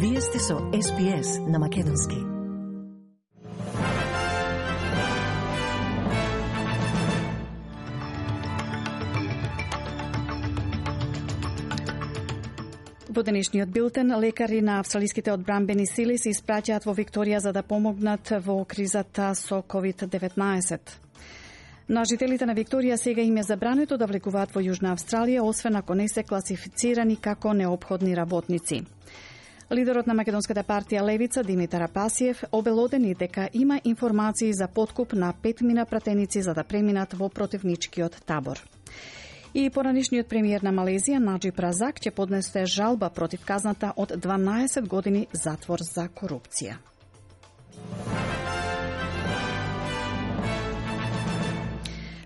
Вие сте со SPS на Македонски. Во денешниот билтен, лекари на австралиските одбранбени сили се испраќаат во Викторија за да помогнат во кризата со COVID-19. На жителите на Викторија сега им е забрането да влекуваат во Јужна Австралија, освен ако не се класифицирани како неопходни работници. Лидерот на Македонската партија Левица, Димитар Апасиев, обелодени дека има информации за подкуп на 5 мина пратеници за да преминат во противничкиот табор. И поранешниот премиер на Малезија, Наџиб Разак, ќе поднесе жалба против казната од 12 години затвор за корупција.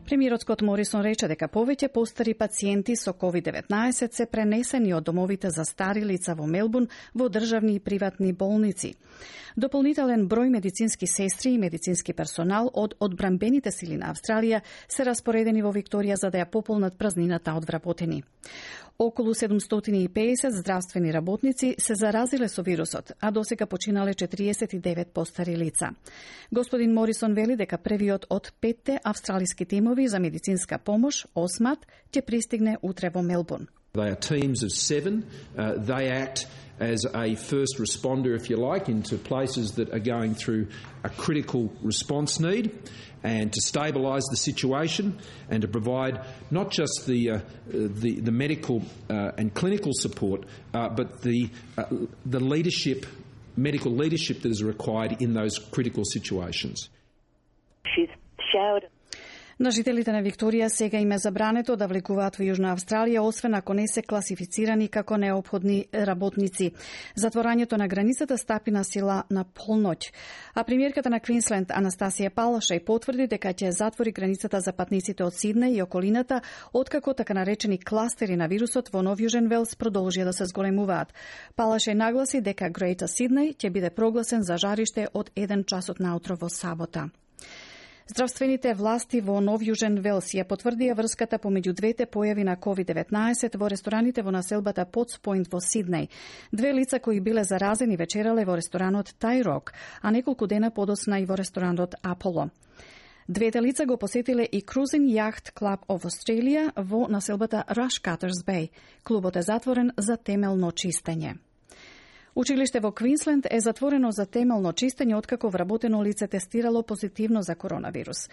Премиерот Скот Морисон рече дека повеќе постари пациенти со COVID-19 се пренесени од домовите за стари лица во Мелбурн во државни и приватни болници. Дополнителен број медицински сестри и медицински персонал од одбранбените сили на Австралија се распоредени во Викторија за да ја пополнат празнината од вработени. Околу 750 здравствени работници се заразиле со вирусот, а досега починале 49 постари лица. Господин Морисон вели дека првиот од 5 австралиски тимови за медицинска помош, ОСМАТ, ќе пристигне утре во Мелбурн. They are teams of 7. They act as a first responder, if you like, into places that are going through a critical response need, and to stabilise the situation and to provide not just the medical and clinical support, but the leadership, medical leadership that is required in those critical situations. She's showered. На жителите на Викторија сега им е забрането да влекуваат во Јужна Австралија, освен ако не се класифицирани како неопходни работници. Затворањето на границата стапи на сила на полноќ. А премиерката на Квинсленд, Анастасија Палашај, потврди дека ќе затвори границата за патниците од Сиднеј и околината, откако така наречени кластери на вирусот во Нов Јужен Велс продолжија да се зголемуваат. Палашај нагласи дека Грејта Сиднеј ќе биде прогласен за жариште од 1 часот наутро во сабота. Здравствените власти во Нов Јужен Велс ја потврдија врската помеѓу двете појави на COVID-19 во рестораните во населбата Потс Пойнт во Сиднеј. Две лица кои биле заразени вечерале во ресторанот Тај Рок, а неколку дена подосна и во ресторанот Аполо. Двете лица го посетиле и Cruising Yacht Club of Australia во населбата Rushcutters Bay. Клубот е затворен за темелно чистење. Училиште во Квинсленд е затворено за темелно чистење откако вработено лице тестирало позитивно за коронавирус.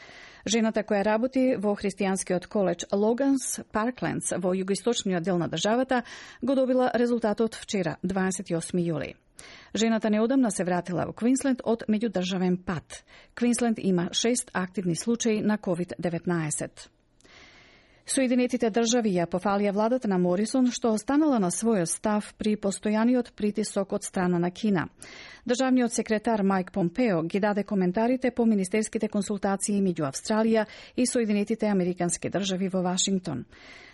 Жената која работи во христијанскиот коледж Логанс Парклендс во југоисточниот дел на државата го добила резултатот вчера, 28 јули. Жената неодамна се вратила во Квинсленд од меѓудржавен пат. Квинсленд има 6 активни случаи на COVID-19. Соединетите држави ја пофалија владата на Морисон што останала на својот став при постојаниот притисок од страна на Кина. Државниот секретар Майк Помпео ги даде коментарите по министерските консултации меѓу Австралија и Соединетите Американски држави во Вашингтон.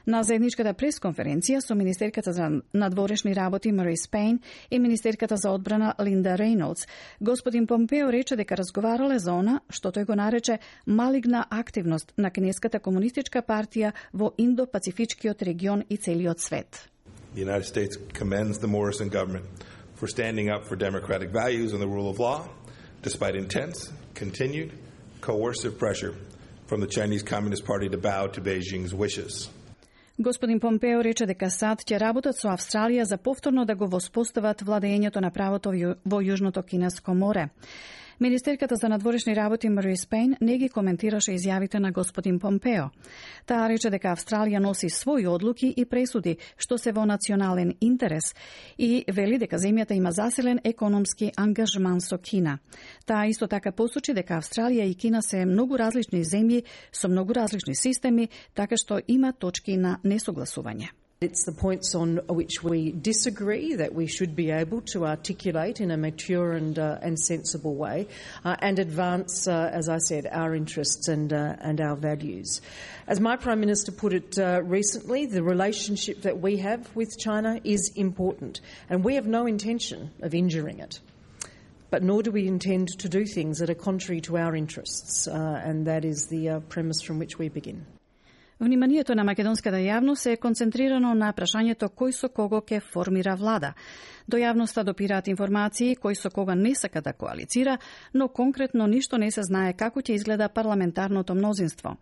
На заедничката пресконференција со министерката за надворешни работи Мари Спейн и министерката за одбрана Линда Рейнолдс, господин Помпео рече дека разговарале за она што тој го нарече малигна активност на Кинеската комунистичка партија во Индо-Пацифичкиот регион и целиот свет. The United States commends the Morrison government for standing up for democratic values and the rule of law, despite intense, continued, coercive pressure from the Chinese Communist Party to bow to Beijing's wishes. Господин Помпео рече дека САД ќе работат со Австралија за повторно да го воспостават владењето на правото во Јужното Кинеско море. Министерката за надворешни работи Мари Спейн не ги коментираше изјавите на господин Помпео. Таа рече дека Австралија носи своји одлуки и пресуди што се во национален интерес и вели дека земјата има засилен економски ангажман со Кина. Таа исто така посочи дека Австралија и Кина се многу различни земји со многу различни системи, така што има точки на несогласување. It's the points on which we disagree that we should be able to articulate in a mature and sensible way and advance, as I said, our interests and our values. As my Prime Minister put it recently, the relationship that we have with China is important and we have no intention of injuring it. But nor do we intend to do things that are contrary to our interests, and that is the premise from which we begin. Вниманието на македонската јавност е концентрирано на прашањето кој со кого ќе формира влада. До јавноста допираат информации кој со кога не сака да коалицира, но конкретно ништо не се знае како ќе изгледа парламентарното мнозинство.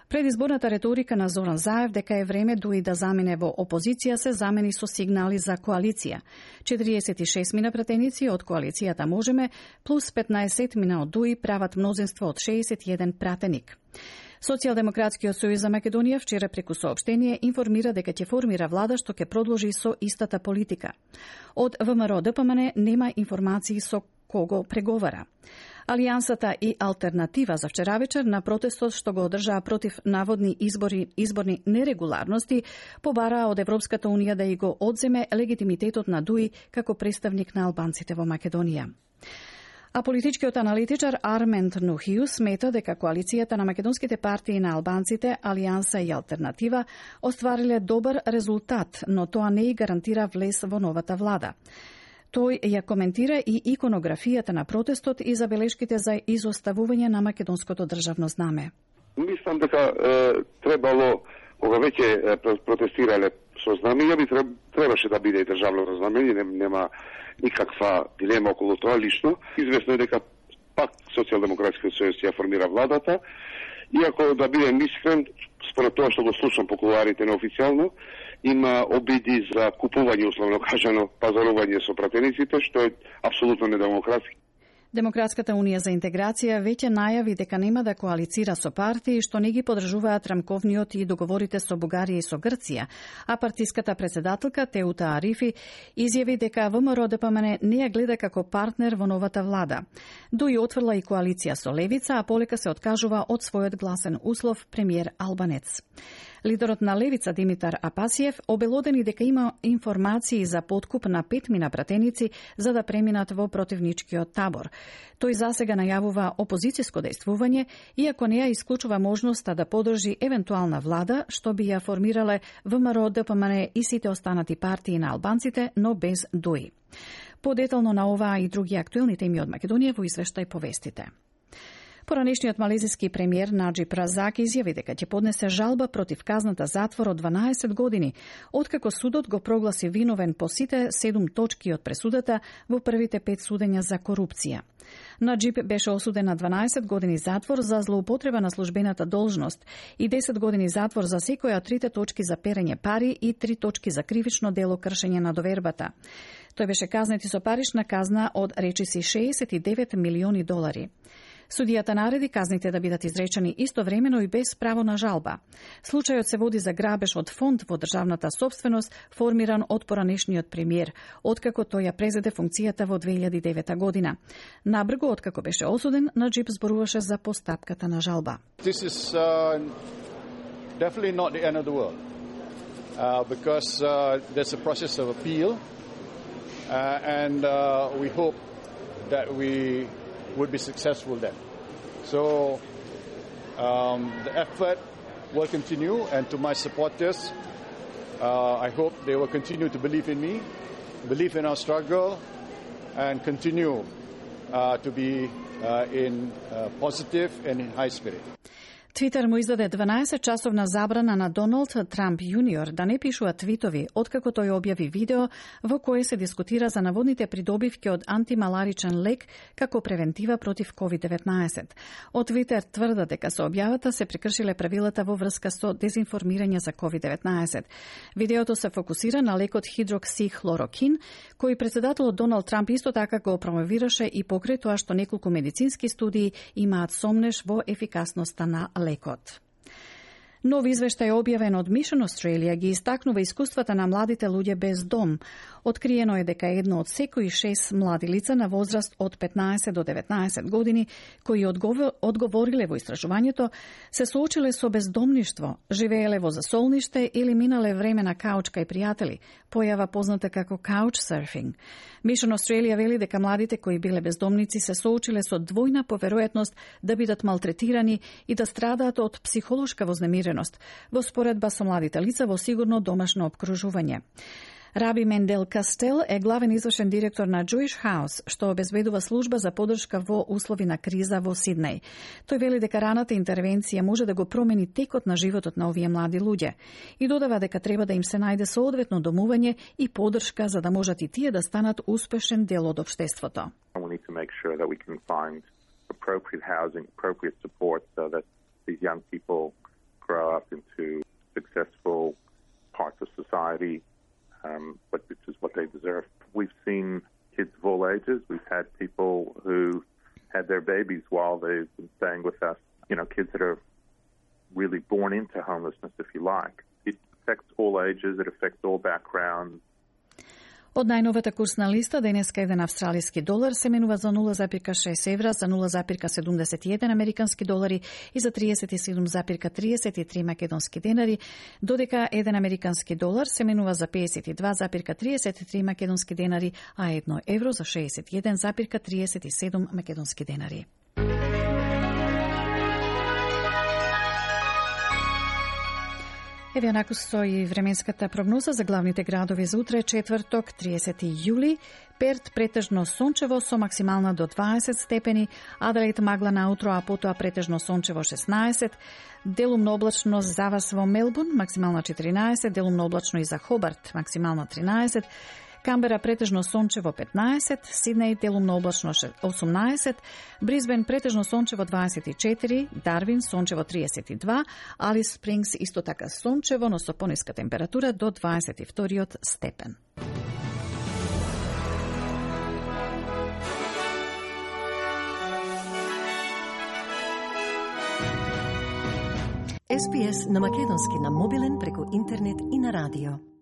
Предизборната реторика на Зоран Заев дека е време дуи да замине во опозиција се замени со сигнали за коалиција. 46 мина пратеници од коалицијата Можеме плюс 15 мина од дуи прават мнозинство од 61 пратеник. Социјалдемократскиот сојуз за Македонија вчера преку соопштение информира дека ќе формира влада што ќе продолжи со истата политика. Од ВМРО ДПМН нема информации со кого преговара. Алијансата и Алтернатива за вчера вечер на протестот што го одржаа против наводни изборни нерегуларности побараа од Европската унија да и го одземе легитимитетот на ДУИ како представник на албанците во Македонија. А политичкиот аналитичар Армент Нухиу смета дека коалицијата на македонските партии на албанците, Алијанса и Алтернатива оствариле добар резултат, но тоа не и гарантира влез во новата влада. Тој ја коментира и иконографијата на протестот и забелешките за изоставување на македонското државно знаме. Мислам дека требало, кога веќе протестирале со знамења, би требаше да биде и државно знамење, нема никаква дилема околу тоа лично. Известно е дека пак Социјалдемократскиот сојуз ја формира владата, иако да бидем искрен, според тоа што го слушам по кулуарите неофицијално, има обиди за купување, условно кажано, пазарување со пратениците, што е апсолутно недемократски. Демократската унија за интеграција веќе најави дека нема да коалицира со партии што не ги подржуваат рамковниот и договорите со Бугарија и со Грција, а партиската председателка Теута Арифи изјави дека ВМРО ДПМН не ја гледа како партнер во новата влада. Дуи отврла и коалиција со Левица, а полека се откажува од својот гласен услов премиер Албанец. Лидерот на Левица Димитар Апасиев обелодени дека има информации за подкуп на 5 мина пратеници за да преминат во противничкиот табор. Тој засега најавува опозицијско дејствување, иако не ја исклучува можноста да подржи евентуална влада, што би ја формирале ВМРО ДПМН и сите останати партии на албанците, но без ДУИ. Подетално на оваа и други актуелни теми од Македонија во извештај повестите. Поранешниот малезиски премиер Наџиб Разак изјави дека ќе поднесе жалба против казната затвор од 12 години, откако судот го прогласи виновен по сите 7 точки од пресудата во првите 5 судења за корупција. Наџиб беше осуден на 12 години затвор за злоупотреба на службената должност и 10 години затвор за секоја од 3 точки за перење пари и 3 точки за кривично дело кршење на довербата. Тој беше казнет и со парична казна од речиси 69 милиони долари. Судијата нареди казните да бидат изречени истовремено и без право на жалба. Случајот се води за грабеж од фонд во државната собственост, формиран од поранешниот премиер, откако тој ја презеде функцијата во 2009 година. Набрзо откако беше осуден, Наџиб зборуваше за постапката на жалба. This is definitely not the end of the world, because there's a process of appeal, and we hope that we would be successful then. So the effort will continue, and to my supporters, I hope they will continue to believe in me, believe in our struggle, and continue to be in positive and in high spirit. Твитер му издаде 12-часовна забрана на Доналд Трамп јуниор да не пишува твитови, откако тој објави видео во кое се дискутира за наводните придобивки од антималаричен лек како превентива против COVID-19. Од Твитер тврда дека со објавата се прекршиле правилата во врска со дезинформирање за COVID-19. Видеото се фокусира на лекот хидроксихлорокин, кој председателот Доналд Трамп исто така го промовираше и покрај тоа што неколку медицински студии имаат сомнеш во ефикасноста на лекот. Нов извештај објавен од Mission Australia ги истакнува искуствата на младите луѓе без дом. Откриено е дека едно од секои 6 млади лица на возраст од 15 до 19 години кои одговориле во истражувањето се соочиле со бездомништво, живееле во засолниште или минале време на кауч кај пријатели, појава позната како couchsurfing. Mission Australia вели дека младите кои биле бездомници се соочиле со двојна поверојатност да бидат малтретирани и да страдаат од психолошка вознемиреност, во споредба со младите лица во сигурно домашно опкружување. Раби Мендел Кастел е главен извршен директор на Jewish House, што обезбедува служба за поддршка во услови на криза во Сиднеј. Тој вели дека раната интервенција може да го промени текот на животот на овие млади луѓе и додава дека треба да им се најде соодветно домување и поддршка за да можат и тие да станат успешен дел од општеството. We need to make sure that we can find appropriate housing, appropriate support so that these young people grow up into successful parts of society, but which is what they deserve. We've seen kids of all ages. We've had people who had their babies while they've been staying with us. You know, kids that are really born into homelessness, if you like. It affects all ages. It affects all backgrounds. Од најновата курсна листа, денеска еден австралиски долар се менува за 0,6 евра, за 0,71 американски долари и за 37,33 македонски денари, додека еден американски долар се менува за 52,33 македонски денари, а 1 евро за 61,37 македонски денари. Еве онаку стои временската прогноза за главните градови за утре, четврток, 30 јули. Перт претежно сончево со максимална до 20 степени, Аделаид магла наутро, а потоа претежно сончево 16, делумно облачно за вас во Мелбурн, максимална 14, делумно облачно и за Хобарт, максимална 13, Камбера претежно сончево 15, Сиднеј делумно облачно 18, Брисбен претежно сончево 24, Дарвин сончево 32, Алис Спрингс исто така сончево, но со пониска температура до 22 степен. SPS на македонски на мобилен преку интернет и на радио.